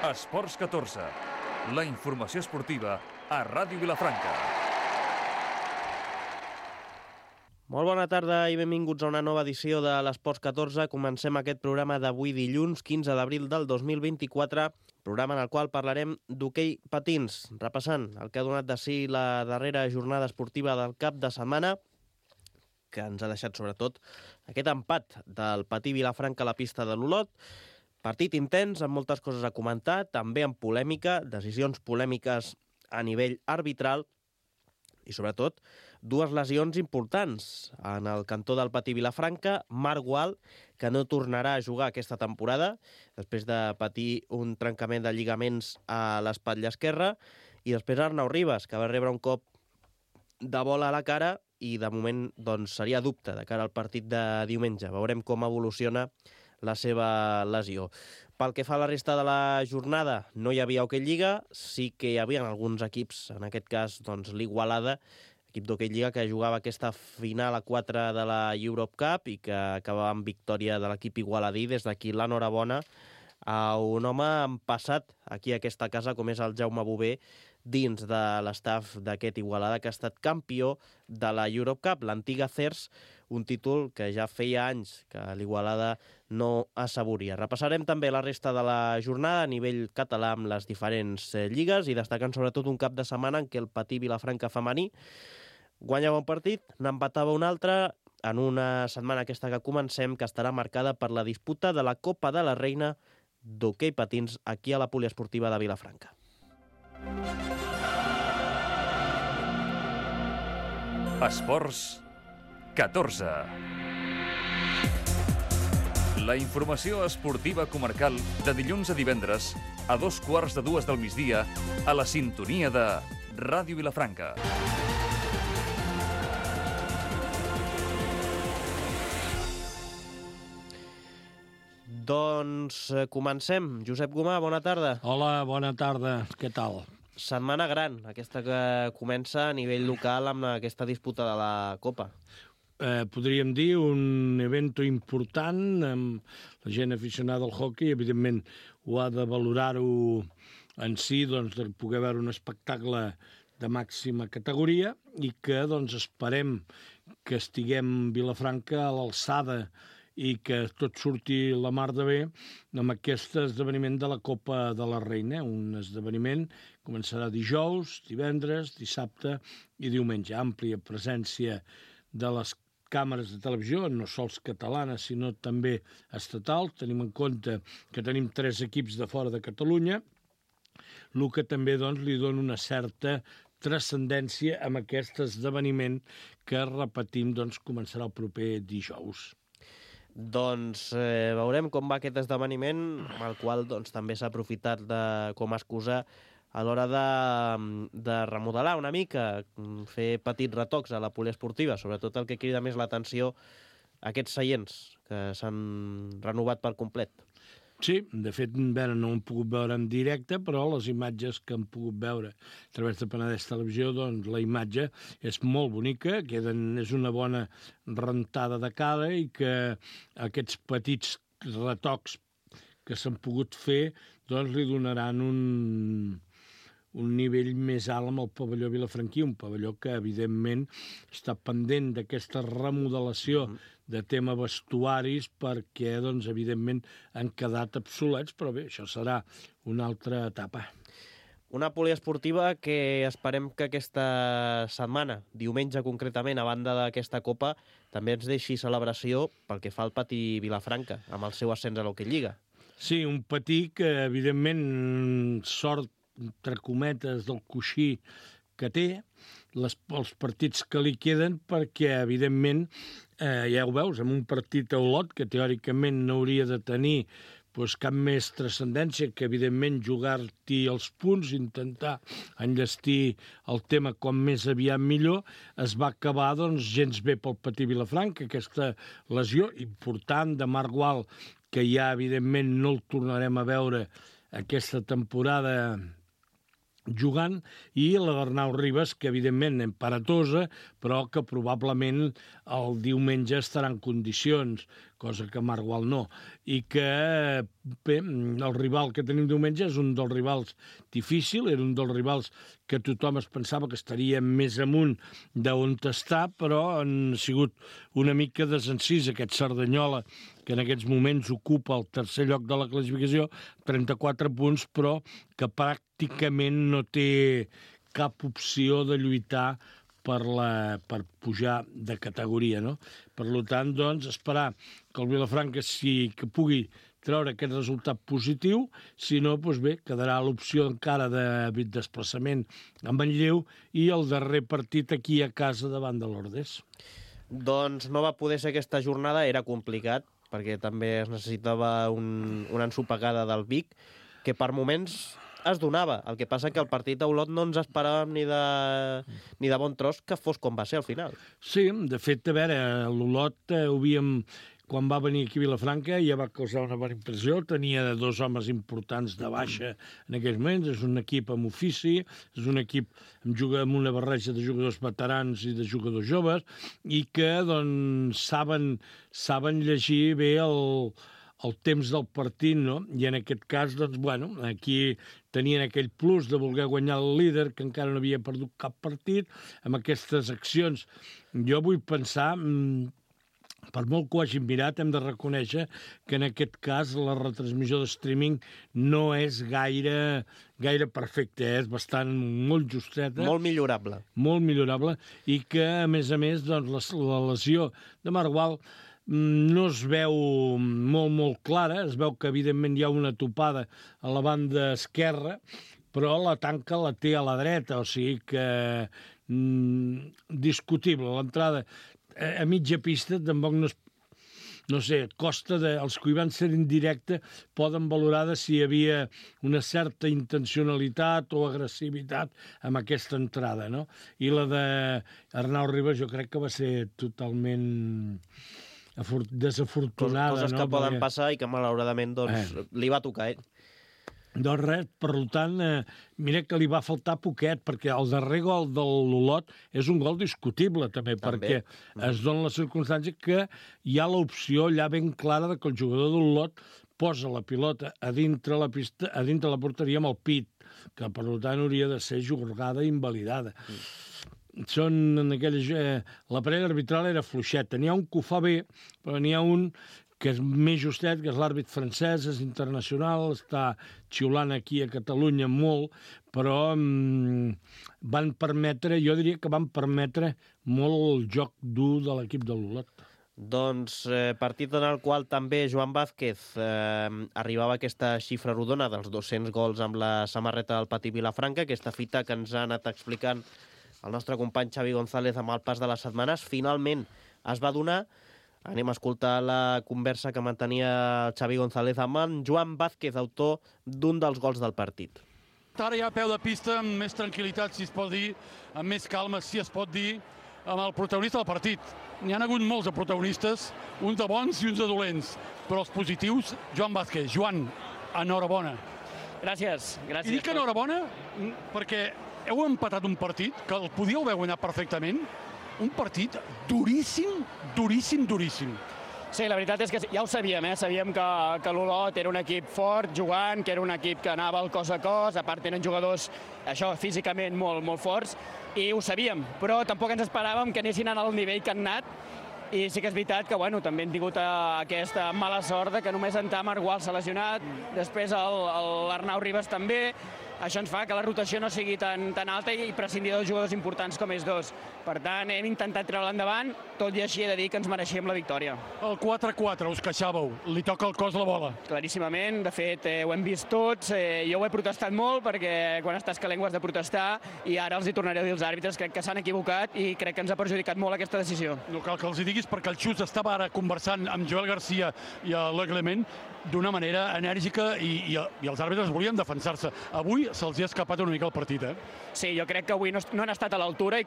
Esports 14, la informació esportiva a Ràdio Vilafranca. Molt bona tarda i benvinguts a una nova edició de l'Esports 14. Comencem aquest programa d'avui dilluns, 15 d'abril del 2024, programa en el qual parlarem d'hoquei patins, repassant el que ha donat de si la darrera jornada esportiva del cap de setmana, que ens ha deixat sobretot aquest empat del Patí Vilafranca a la pista de l'Olot. Partit intens, amb moltes coses a comentar, també amb polèmica, decisions polèmiques a nivell arbitral i, sobretot, dues lesions importants en el cantó del Patí Vilafranca. Marc Gual, que no tornarà a jugar aquesta temporada, després de patir un trencament de lligaments a l'espatlla esquerra, i després Arnau Ribas, que va rebre un cop de bola a la cara i, de moment, doncs, seria dubte de cara al partit de diumenge. Veurem com evoluciona la seva lesió. Pel que fa a la resta de la jornada, no hi havia hoquei lliga, sí que hi havia alguns equips, en aquest cas doncs, l'Igualada, equip d'hoquei lliga que jugava aquesta final a 4 de la Europe Cup i que acabava amb victòria de l'equip igualadí. Des d'aquí l'enhorabona a un home empassat aquí a aquesta casa, com és el Jaume Bové, dins de l'estaf d'aquest Igualada, que ha estat campió de la Europe Cup, l'antiga CERS, un títol que ja feia anys que l'Igualada no assaboria. Repassarem també la resta de la jornada a nivell català amb les diferents lligues i destacant sobretot un cap de setmana en què el Patí Vilafranca femení guanyava un partit, n'empatava un altre, en una setmana aquesta que comencem, que estarà marcada per la disputa de la Copa de la Reina d'hoquei patins aquí a la poliesportiva de Vilafranca. Esports 14. La informació esportiva comarcal de dilluns a divendres a 2:15 del migdia a la sintonia de Ràdio Vilafranca. Doncs comencem. Josep Gomà, bona tarda. Hola, bona tarda. Què tal? Setmana gran, aquesta que comença a nivell local amb aquesta disputa de la Copa. Podríem dir un evento important amb la gent aficionada al hoquei. Evidentment, ho ha de valorar-ho en si, doncs, de poder veure un espectacle de màxima categoria i que, doncs, esperem que estiguem Vilafranca a l'alçada i que tot surti la mar de bé amb aquest esdeveniment de la Copa de la Reina, un esdeveniment que començarà dijous, divendres, dissabte i diumenge. Àmplia presència de les càmeres de televisió, no sols catalanes, sinó també estatals. Tenim en compte que tenim 3 equips de fora de Catalunya, el que també doncs, li dona una certa transcendència amb aquest esdeveniment que, repetim, doncs, començarà el proper dijous. Doncs veurem com va aquest esdeveniment, el qual doncs, també s'ha aprofitat com a excusa a l'hora de remodelar una mica, fer petits retocs a la poliesportiva, sobretot el que crida més l'atenció, aquests seients que s'han renovat per complet. Sí, de fet, no hem pogut veure en directe, però les imatges que hem pogut veure a través de Penedès Televisió, doncs la imatge és molt bonica, és una bona rentada de cara i que aquests petits retocs que s'han pogut fer doncs li donaran un nivell més alt amb el pavelló vilafranquí, un pavelló que, evidentment, està pendent d'aquesta remodelació de tema vestuaris perquè, doncs, evidentment, han quedat obsolets, però bé, això serà una altra etapa. Una poliesportiva que esperem que aquesta setmana, diumenge concretament, a banda d'aquesta Copa, també ens deixi celebració pel que fa al Patí Vilafranca, amb el seu ascens a l'hoquei lliga. Sí, un Patí que, evidentment, sort entre cometes del coixí que té, els partits que li queden, perquè, evidentment, ja ho veus, en un partit a Olot, que teòricament no hauria de tenir cap més transcendència que, evidentment, jugar-t'hi els punts, intentar enllestir el tema com més aviat millor, es va acabar, doncs, gens bé pel Patí Vilafranca, aquesta lesió important de Marc Gual, que ja, evidentment, no el tornarem a veure aquesta temporada jugant, i la d'Arnau Ribas, que evidentment emparatosa, però que probablement el diumenge estarà en condicions. cosa que Margual no, i que bé, el rival que tenim diumenge és un dels rivals difícil, era un dels rivals que tothom es pensava que estaria més amunt d'on està, però han sigut una mica desencís aquest Cerdanyola, que en aquests moments ocupa el tercer lloc de la classificació, 34 punts, però que pràcticament no té cap opció de lluitar per pujar de categoria, no? Per tant, doncs, esperar que el Vilafranca que pugui treure aquest resultat positiu, si no, doncs bé, quedarà l'opció encara de desplaçament a Manlleu i el darrer partit aquí a casa davant de l'Ordés. Doncs no va poder ser aquesta jornada, era complicat, perquè també es necessitava una ensopegada del Vic, que per moments es donava. El que passa que el partit a Olot no ens esperàvem ni de bon tros que fos com va ser al final. Sí, de fet, a veure, l'Olot quan va venir aquí a Vilafranca ja va causar una bona impressió, tenia 2 homes importants de baixa en aquells moments, és un equip amb ofici, és un equip amb una barreja de jugadors veterans i de jugadors joves, i que doncs, saben llegir bé el temps del partit, no? I en aquest cas, doncs, bueno, aquí tenien aquell plus de voler guanyar el líder, que encara no havia perdut cap partit, amb aquestes accions. Jo vull pensar, per molt que ho hagin mirat, hem de reconèixer que en aquest cas la retransmissió de streaming no és gaire perfecta, és bastant molt justeta. Molt millorable. Molt millorable, i que, a més, doncs, la lesió de Margual no es veu molt clara, es veu que evidentment hi ha una topada a la banda esquerra, però la tanca la té a la dreta, o sigui que discutible. L'entrada a mitja pista tampoc no sé, costa els que hi van ser en directe poden valorar de si hi havia una certa intencionalitat o agressivitat amb aquesta entrada, no? I la d'Arnau Ribas jo crec que va ser totalment desafortunada. Coses que poden passar i que malauradament li va tocar a ell. Doncs res, per tant, mira que li va faltar poquet, perquè el darrer gol de l'Olot és un gol discutible, també, perquè es dona la circumstància que hi ha l'opció allà ben clara de que el jugador de l'Olot posa la pilota a dintre la pista, a dintre la porteria amb el pit, que per tant hauria de ser jugada i invalidada. La parella arbitral era fluixeta. N'hi ha un que ho fa bé, però n'hi ha un que és més justet, que és l'àrbit francès, és internacional, està xiulant aquí a Catalunya molt, però jo diria que van permetre molt el joc dur de l'equip de l'Olot. Doncs partit en el qual també Joan Vázquez arribava a aquesta xifra rodona dels 200 gols amb la samarreta del Patí Vilafranca, aquesta fita que ens ha anat explicant el nostre company Xavi González amb el pas de les setmanes, finalment es va donar. Anem a escoltar la conversa que mantenia el Xavi González amb en Joan Vázquez, autor d'un dels gols del partit. Ara ja a peu de pista, amb més tranquil·litat, si es pot dir, amb més calma, si es pot dir, amb el protagonista del partit. N'hi ha hagut molts de protagonistes, uns de bons i uns de dolents, però els positius, Joan Vázquez. Joan, enhorabona. Gràcies. I dic enhorabona perquè heu empatat un partit que el podíeu haver guanyat perfectament, un partit duríssim. Sí, la veritat és que ja ho sabíem, sabíem que l'Olot era un equip fort, jugant, que era un equip que anava al cos a cos, a part tenen jugadors, això, físicament molt forts, i ho sabíem, però tampoc ens esperàvem que anessin al nivell que han anat, i sí que és veritat que, bueno, també hem tingut aquesta mala sort de que només en Margual s'ha lesionat, després l'Arnau Ribas també. Això ens fa que la rotació no sigui tan alta i prescindir dels jugadors importants com ells dos. Per tant, hem intentat treure endavant, tot i així he de dir que ens mereixíem la victòria. El 4-4, us queixàveu, li toca el cos la bola. Claríssimament, de fet, ho hem vist tots. Jo ho he protestat molt perquè quan estàs calent ho has de protestar i ara els hi tornaré a dir als àrbitres, crec que s'han equivocat i crec que ens ha perjudicat molt aquesta decisió. No cal que els hi diguis perquè el Xus estava ara conversant amb Joel Garcia i Le Clement d'una manera enèrgica i els àrbitres volien defensar-se. Avui avui se'ls ha escapat una mica el partit, Sí, jo crec que avui no han estat a l'altura i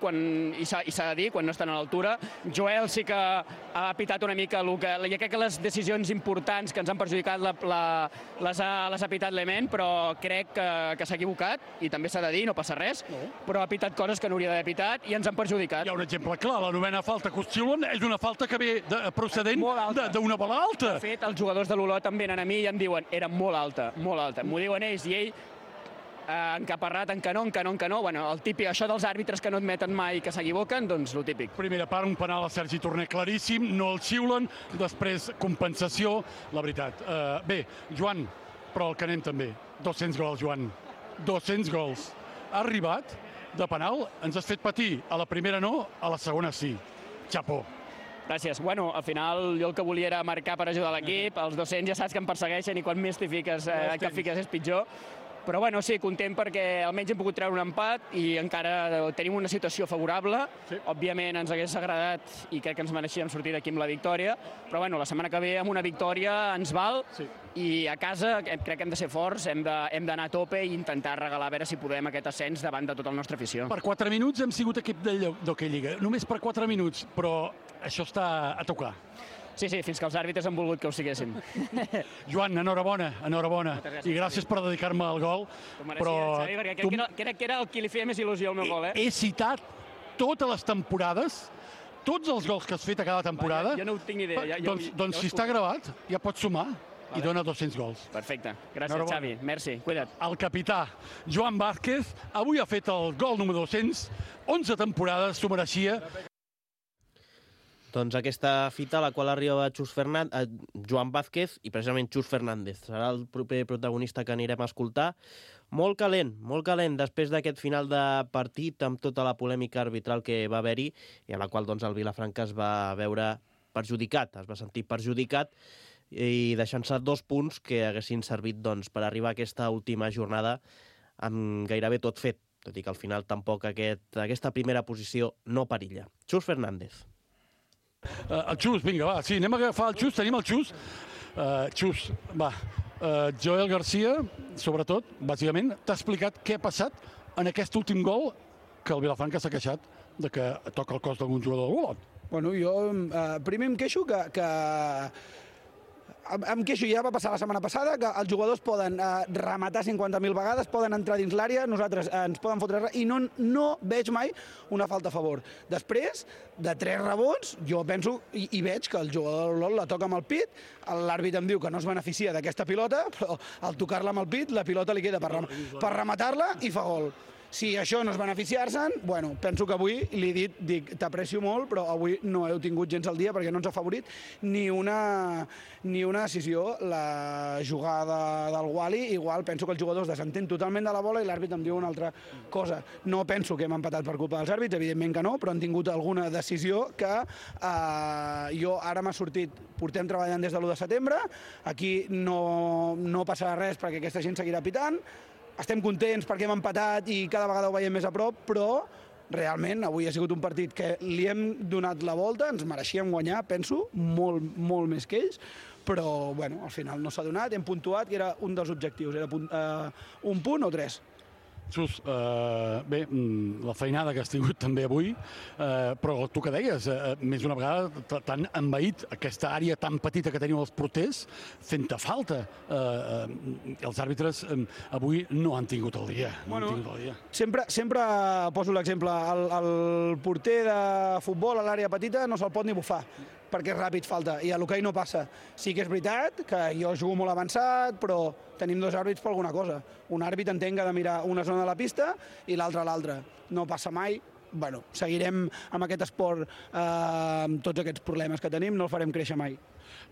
s'ha de dir, quan no estan a l'altura. Joel sí que ha pitat una mica jo crec que les decisions importants que ens han perjudicat les ha pitat Lement, però crec que s'ha equivocat i també s'ha de dir, no passa res, però ha pitat coses que no hauria d'haver pitat i ens han perjudicat. Hi ha un exemple clar, la 9ª falta que us xiulen és una falta que ve procedent d'una bola alta. De fet, els jugadors de l'Olot em venen a mi i em diuen era molt alta, molt alta. M'ho diuen ells i ell encaparrat en que no. Bueno, el típic, això dels àrbitres que no admeten mai que s'equivoquen, doncs lo típic. Primera part, un penal a Sergi Torner claríssim, no el xiulen, després compensació, la veritat. Bé, Joan, però el que anem també. 200 gols, Joan. 200 gols. Ha arribat de penal, ens has fet patir. A la primera no, a la segona sí. Xapó. Gràcies. Bueno, al final jo el que volia era marcar per ajudar l'equip. Els 200 ja saps que em persegueixen i quan més t'hi fiques, és pitjor. Però bueno, sí, content perquè almenys hem pogut treure un empat i encara tenim una situació favorable. Sí. Òbviament ens hagués agradat i crec que ens mereixíem sortir d'aquí amb la victòria, però bueno, la setmana que ve amb una victòria ens val i a casa crec que hem de ser forts, hem d'anar a tope i intentar regalar a veure si podem aquest ascens davant de tota la nostra afició. Per 4 minuts hem sigut equip d'Hockey Lliga, només per 4 minuts, però això està a tocar. Sí, fins que els àrbitres han volgut que ho siguessin. Joan, enhorabona. I gràcies per dedicar-me al gol. Però Xavi, perquè crec que era el que li feia més il·lusió al meu gol, He citat totes les temporades, tots els gols que has fet a cada temporada. Jo no ho tinc ni idea. Doncs si està gravat, ja pots sumar i dona 200 gols. Perfecte. Gràcies, Xavi. Merci. Cuida't. El capità Joan Vázquez avui ha fet el gol número 200. 11 temporades s'ho mereixia. Doncs aquesta fita a la qual arriba Joan Vázquez i precisament Xus Fernández. Serà el proper protagonista que anirem a escoltar. Molt calent, després d'aquest final de partit amb tota la polèmica arbitral que va haver-hi i a la qual doncs, el Vilafranca es va veure perjudicat, es va sentir perjudicat i deixant-se 2 punts que haguessin servit doncs, per arribar a aquesta última jornada amb gairebé tot fet, tot i que al final tampoc aquesta primera posició no perilla. Xus Fernández. El Xus, vinga, va, sí, anem a agafar el Xus, tenim el Xus. Xus, va, Joel Garcia, sobretot, bàsicament, t'ha explicat què ha passat en aquest últim gol que el Vilafranca s'ha queixat de que toca el cos d'algun jugador del Olot. Bueno, jo primer em queixo que em queixo, ja va passar la setmana passada, que els jugadors poden rematar 50.000 vegades, poden entrar dins l'àrea, nosaltres ens poden fotre res, i no veig mai una falta a favor. Després, de 3 rebots, jo penso i veig que el jugador de l'Olot la toca amb el pit, l'àrbit em diu que no es beneficia d'aquesta pilota, però al tocar-la amb el pit, la pilota li queda per rematar-la i fa gol. Si això no és beneficiar-se'n, bueno, penso que avui li he dit, t'aprecio molt, però avui no heu tingut gens al dia perquè no ens ha favorit ni una decisió. La jugada del Wally, igual, penso que els jugadors desentén totalment de la bola i l'àrbit em diu una altra cosa. No penso que hem empatat per culpa dels àrbits, evidentment que no, però han tingut alguna decisió que jo ara m'ha sortit. Portem treballant des de l'1 de setembre, aquí no passarà res perquè aquesta gent seguirà pitant. Estem contents perquè hem empatat i cada vegada ho veiem més a prop, però realment avui ha sigut un partit que li hem donat la volta, ens mereixíem guanyar, penso, molt més que ells, però bueno, al final no s'ha donat, hem puntuat i era un dels objectius, era un punt o 3. Xus, bé, la feinada que has tingut també avui, però tu que deies, més d'una vegada t'han envaït aquesta àrea tan petita que teniu els porters, fent-te falta. Els àrbitres avui no han tingut el dia. Sempre poso l'exemple, el porter de futbol a l'àrea petita no se'l pot ni bufar, perquè és ràpid, falta, i a l'hoquei no passa. Sí que és veritat que jo jugo molt avançat, però tenim 2 àrbits per alguna cosa. Un àrbit entenc que ha de mirar una zona de la pista i l'altra a l'altra. No passa mai. Bueno, seguirem amb aquest esport, amb tots aquests problemes que tenim, no el farem créixer mai.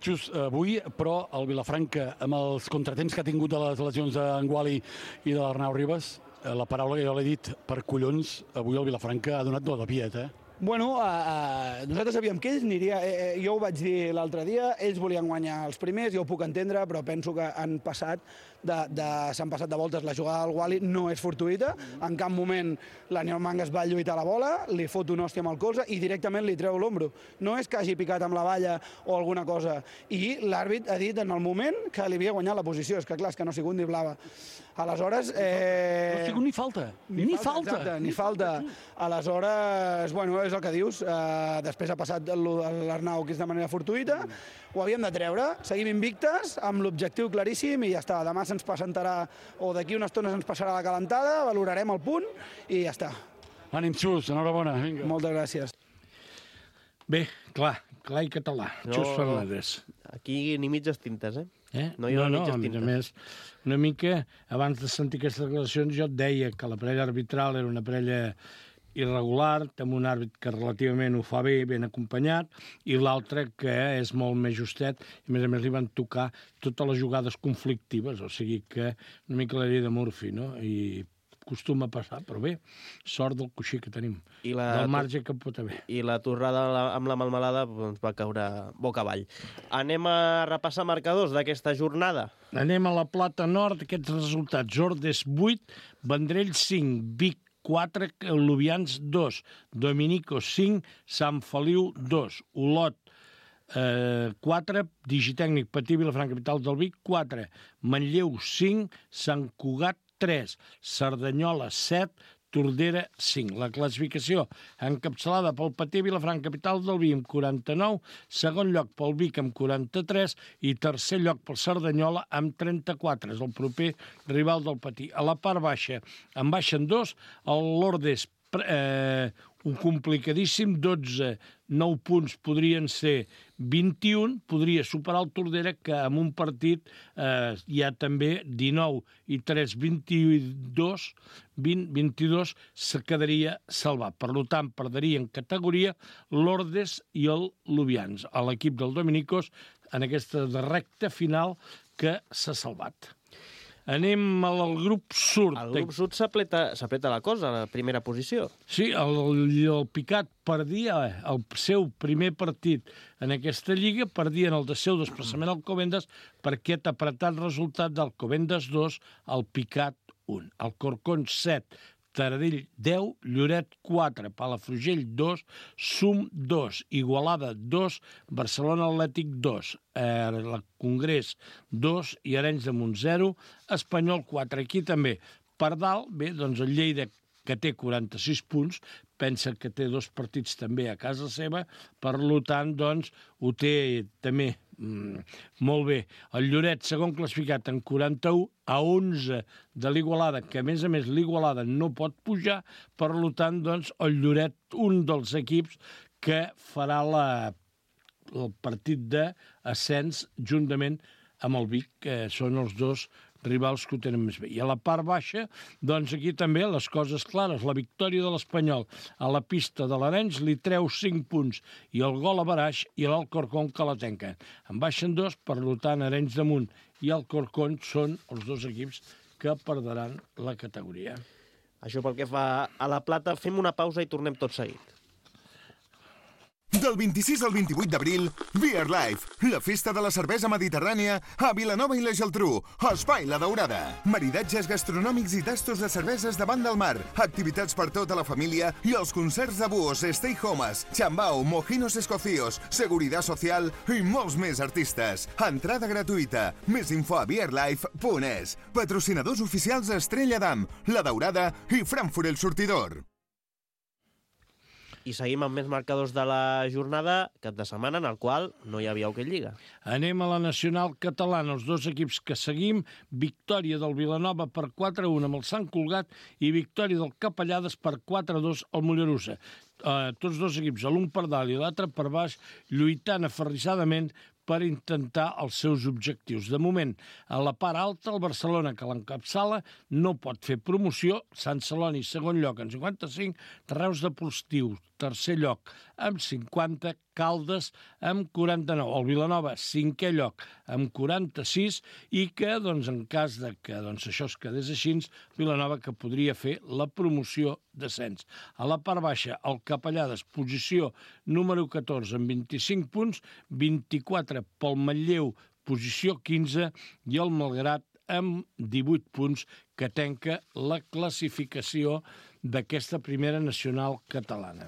Xus, avui, però, el Vilafranca, amb els contratemps que ha tingut de les lesions d'en Wally i de l'Arnau Ribas, la paraula que jo l'he dit, per collons, avui el Vilafranca ha donat do de piet, Bueno, nosaltres sabíem que ells aniria... Jo ho vaig dir l'altre dia, ells volien guanyar els primers, jo ho puc entendre, però penso que s'han passat de voltes. La jugada del Wally no és fortuïta, en cap moment l'Aniol Mangas va lluitar la bola, li fot una hòstia amb el colze i directament li treu l'ombro. No és que hagi picat amb la valla o alguna cosa. I l'àrbit ha dit en el moment que li havia guanyat la posició. És que clar, és que no ha sigut ni blava. Aleshores... No ha sigut ni falta. Ni falta. Exacte, ni falta. Aleshores, bueno, és el que dius. Després ha passat l'Arnau, que és de manera fortuïta. Ho havíem de treure. Seguim invictes, amb l'objectiu claríssim i ja està. Demà se'ns presentarà, o d'aquí una estona se'ns passarà la calentada, valorarem el punt i ja està. Ànim, Xus, enhorabona. Vinga. Moltes gràcies. Bé, clar i català. Xus Fernández. Aquí ni mitges tintes, eh? No, a més, una mica, abans de sentir aquestes declaracions, jo et deia que la parella arbitral era una parella irregular, amb un àrbit que relativament ho fa bé, ben acompanyat, i l'altre que és molt més justet, i a més li van tocar totes les jugades conflictives, o sigui que una mica la llei de Murphy, no? I acostuma a passar, però bé, sort del coixí que tenim, del marge que pot haver. I la torrada amb la melmelada doncs, va caure boca avall. Anem a repassar marcadors d'aquesta jornada. Anem a la Plata Nord, aquests resultats. Ordes 8, Vendrell 5, Vic 4, Lubians 2, Dominico 5, Sant Feliu 2, Olot 4, Digitècnic Patí, Vilafranca, capital del Vic 4, Manlleu 5, Sant Cugat 3, Cerdanyola 7, Tordera 5. La classificació encapçalada pel Patí, Vilafranca, capital del Vic, amb 49, segon lloc pel Vic amb 43 i tercer lloc pel Cerdanyola amb 34. És el proper rival del Patí. A la part baixa en baixen dos, l'Ordes un complicadíssim, 12, 9 punts podrien ser 21, podria superar el Tordera, que amb un partit hi ha també 19 i 3, 22, se quedaria salvat. Per tant, perderia en categoria l'Ordes i el Lubians, a l'equip del Dominicos, en aquesta recta final que s'ha salvat. Anem al grup sud. Al grup sud s'apreta la cosa, a la primera posició. Sí, el Picat perdia el seu primer partit en aquesta lliga, perdia en el seu desplaçament al Covendes per aquest apretat resultat del Covendes 2 al Picat 1. El Corcón 7, Taradell 10, Lloret 4, Palafrugell 2, Sum 2, Igualada 2, Barcelona Atlètic 2, la Congrés 2 i Arenys de Munt 0, Espanyol 4. Aquí també, per dalt, bé, doncs el Lleida, que té 46 punts, pensa que té 2 partits també a casa seva, per tant, doncs, ho té també molt bé. El Lloret, segon classificat en 41, a 11 de l'Igualada, que a més l'Igualada no pot pujar, per tant, doncs, el Lloret, un dels equips que farà el partit d'ascens juntament amb el Vic, que són els dos rivals que ho tenen més bé. I a la part baixa, doncs aquí també les coses clares. La victòria de l'Espanyol a la pista de l'Arenys li treu 5 punts i el gol a Baraix i l'Alcorcón que la tanquen. En baixen 2, per tant, Arenys de Munt i Alcorcón són els dos equips que perdran la categoria. Això pel que fa a la Plata, fem una pausa i tornem tot seguit. Del 26 al 28 d'abril, Beer Life, la festa de la cervesa mediterrània a Vilanova i la Geltrú, Espai La Daurada. Maridatges gastronòmics i tastos de cerveses davant del mar, activitats per tota la família i els concerts de búhos, stay homes, chambao, mojinos escocíos, seguridad social i molts més artistes. Entrada gratuïta. Més info a beerlife.es. Patrocinadors oficials Estrella d'Am, La Daurada i Frankfurt El Sortidor. I seguim amb més marcadors de la jornada, cap de setmana, en el qual no hi havia Hockey Lliga. Anem a la Nacional Catalana. Els dos equips que seguim, victòria del Vilanova per 4-1 amb el Sant Cugat i victòria del Capellades per 4-2 al Mollerussa. Tots dos equips, l'un per dalt i l'altre per baix, lluitant aferrissadament per intentar els seus objectius. De moment, a la part alta, el Barcelona, que l'encapçala, no pot fer promoció. Sant Celoni, segon lloc, en 55, Reus Deportiu, tercer lloc amb 50, Caldes amb 49. El Vilanova, 5è lloc amb 46 i que, en cas de que això es quedés així, Vilanova que podria fer la promoció d'ascens. A la part baixa, el Capellades, posició número 14 amb 25 punts, 24 pel Manlleu, posició 15, i el Malgrat amb 18 punts, que tanca la classificació d'aquesta primera nacional catalana.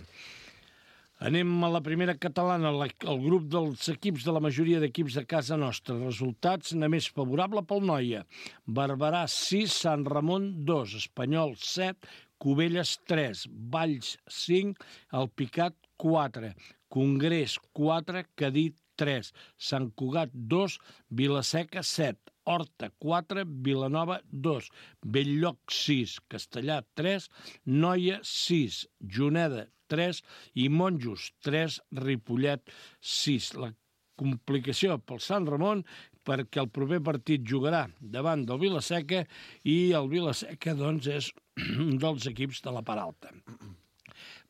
Anem a la primera catalana, el grup dels equips de la majoria d'equips de casa nostra. Resultats, més favorable pel Noia. Barberà 6, Sant Ramon 2, Espanyol 7, Cubelles 3, Valls 5, Alpicat 4, Congrés 4, Cadí 3, Sant Cugat 2, Vilaseca 7, Horta 4, Vilanova 2, Belllloc 6, Castellà 3, Noia 6, Juneda 3 i Monjos 3, Ripollet 6. La complicació pel Sant Ramon perquè el proper partit jugarà davant del Vilaseca i el Vilaseca, és un dels equips de la part alta.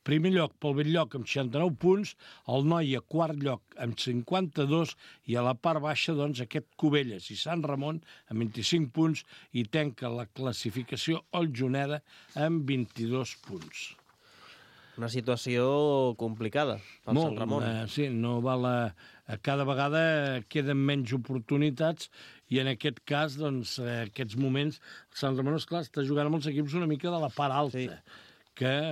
Primer lloc pel Belllloc amb 69 punts, el Noia quart lloc amb 52 i a la part baixa aquest Cubelles i Sant Ramon amb 25 punts i tanca la classificació el Juneda amb 22 punts. Una situació complicada pel Sant Ramon. Sí, no val cada vegada queden menys oportunitats i en aquest cas, aquests moments, el Sant Ramon, esclar, està jugant amb els equips una mica de la part alta. Sí. Que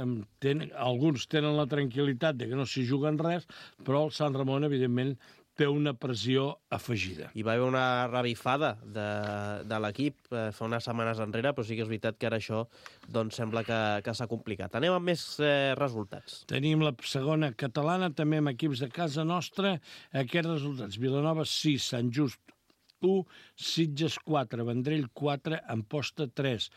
alguns tenen la tranquil·litat de que no s'hi juguen res, però el Sant Ramon, evidentment, té una pressió afegida. Hi va haver una revifada de l'equip fa unes setmanes enrere, però sí que és veritat que ara això sembla que s'ha complicat. Anem amb més resultats. Tenim la segona catalana, també amb equips de casa nostra. Aquests resultats: Vilanova 6, Sant Just 1, Sitges 4, Vendrell 4, Amposta 3,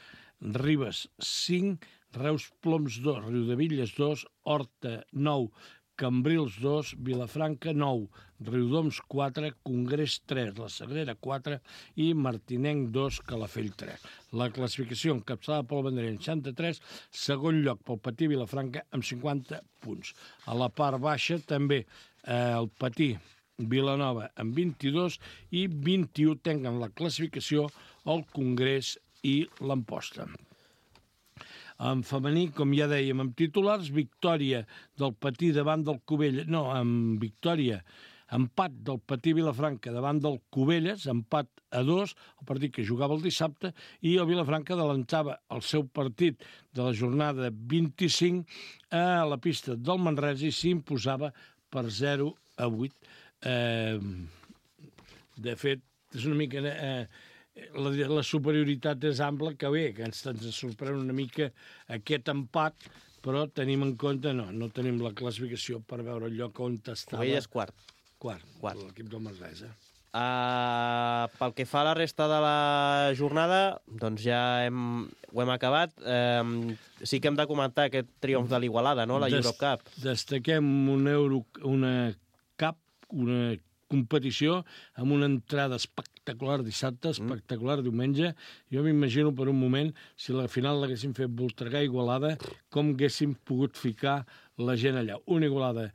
Ribes 5, Reus Ploms 2, Riudevilles 2, Horta 9, Cambrils 2, Vilafranca 9, Riudoms 4, Congrés 3, La Sagrera 4 i Martinenc 2, Calafell 3. La classificació encapçalada pel Vendrell 63, segon lloc pel Patí Vilafranca amb 50 punts. A la part baixa també el Patí Vilanova amb 22 i 21 tenen la classificació el Congrés i l'Amposta. En femení, com ja dèiem, amb titulars, victòria del Patí davant del Cubelles, empat del Patí Vilafranca davant del Cubelles, empat a 2, el partit que jugava el dissabte, i el Vilafranca adelantava el seu partit de la jornada 25 a la pista del Manresa i s'imposava per 0-8. De fet, és una mica... La superioritat és ampla, que bé, que ens sorprèn una mica aquest empat, però tenim en compte, no tenim la classificació per veure el lloc on estava. Cubelles quart. Quart. L'equip del Manresa. Pel que fa a la resta de la jornada, doncs ja ho hem acabat. Sí que hem de comentar aquest triomf de l'Igualada, no? La Eurocup. Destaquem una competició amb una entrada espectacular dissabte, espectacular diumenge. Jo m'imagino per un moment, si la final l'haguéssim fet Voltregà-Igualada, com haguéssim pogut ficar la gent allà. Una Igualada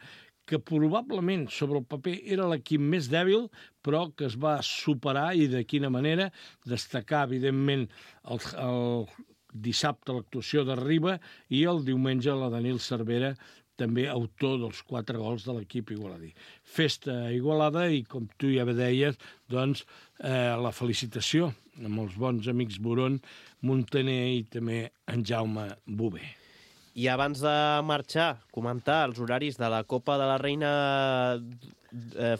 que probablement sobre el paper era l'equip més dèbil, però que es va superar i de quina manera. Destacar, evidentment, el dissabte l'actuació de Riba i el diumenge la de Nil Cervera, també autor dels 4 gols de l'equip igualadí. Festa Igualada i, com tu ja deies, doncs, la felicitació amb els bons amics Boron, Montaner i també en Jaume Bové. I abans de marxar, comentar els horaris de la Copa de la Reina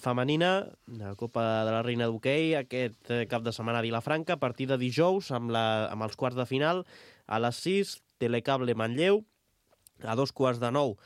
femenina, de la Copa de la Reina d'hoquei, aquest cap de setmana a Vilafranca, a partir de dijous, amb els quarts de final, a les 6, Telecable Manlleu, a 8:45,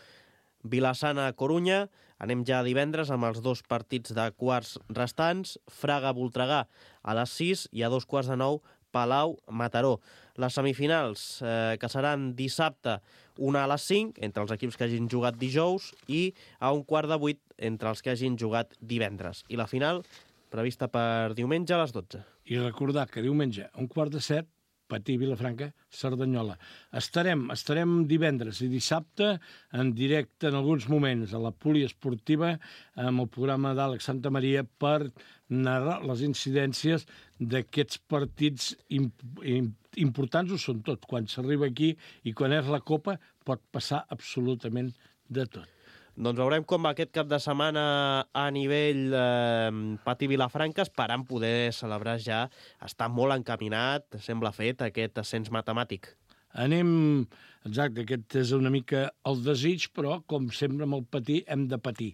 Vilassana Corunya. Anem ja divendres amb els 2 partits de quarts restants, Fraga-Voltregà a les 6 i a 8:45, Palau-Mataró. Les semifinals, que seran dissabte, una a les 5, entre els equips que hagin jugat dijous, i a 7:15 entre els que hagin jugat divendres. I la final, prevista per diumenge a les 12. I recordar que diumenge a 6:15, Patí, Vilafranca, Cerdanyola. Estarem divendres i dissabte en directe en alguns moments a la poliesportiva amb el programa d'Àlex Santamaria per narrar les incidències d'aquests partits importants, ho són tot. Quan s'arriba aquí i quan és la Copa pot passar absolutament de tot. Doncs veurem com va aquest cap de setmana a nivell Patí Vilafranca, esperant poder celebrar ja. Està molt encaminat, sembla fet, aquest ascens matemàtic. Exacte, aquest és una mica el desig, però, com sempre amb el Patí, hem de patir.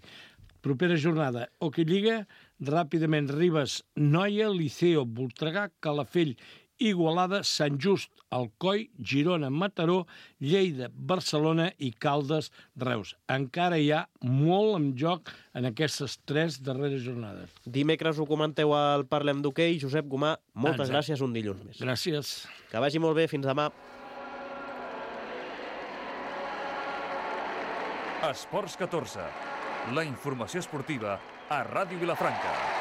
Propera jornada, Hockey Lliga, ràpidament Ribes, Noia, Liceo, Voltregà, Calafell, Igualada, Sant Just, Alcoi, Girona, Mataró, Lleida, Barcelona i Caldes, Reus. Encara hi ha molt en joc en aquestes 3 darreres jornades. Dimecres ho comenteu al Parlem d'Hoquei. Josep Gomà, moltes gràcies, un dilluns més. Gràcies. Que vagi molt bé, fins demà. Esports 14, la informació esportiva a Ràdio Vilafranca.